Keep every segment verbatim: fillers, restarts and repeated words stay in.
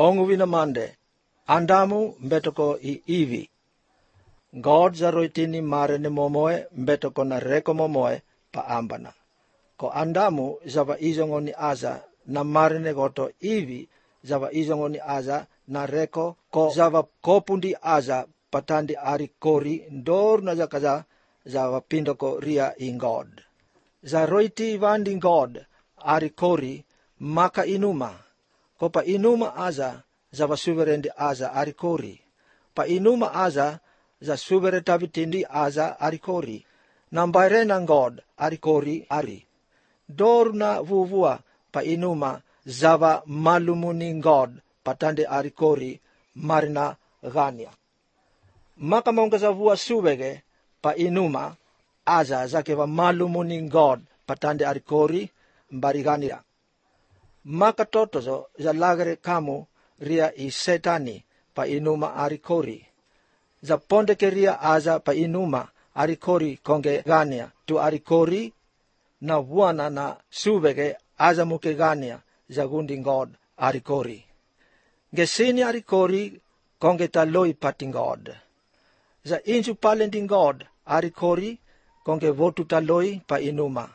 ongu vinamande, Andamu mbetoko i Ivi. God zaroitini mare ne momoe mbetoko na reko momoe pa ambana. Ko Andamu zava izongo ni aza na mare ne goto Ivi zava izongo ni aza na reko ko zava kopundi aza patandi ari kori ndor na zakaza zava pindoko ria in God. Zaroiti vandi God ari kori maka inuma. Ko pa inuma aza zava suverendi aza ari kori. Pa inuma aza za suvere tabitindi aza ari kori. Nambaire ng God ari kori ari. Dor na vuvua pa inuma zava malumuni God patande ari kori marina gania. Maka monga zavua suvege pa inuma aza zakeva malumuni God patande ari kori mbarigania. Maka totozo za lagare kamu ria i setani pa inuma ari kori. Za ponde ke ria aza pa inuma ari kori konge gania tu ari kori na vuana na suvege aza muke gania za gundi God ari kori. Gesini ari kori konge taloi pati God. Za insu palendi God ari kori konge votu taloi pa inuma.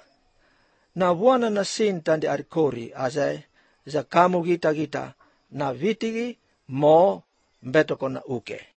Na vuana na sin tandi ari kori aza za kamu gita gita na vitigi mo mbetoko na uke.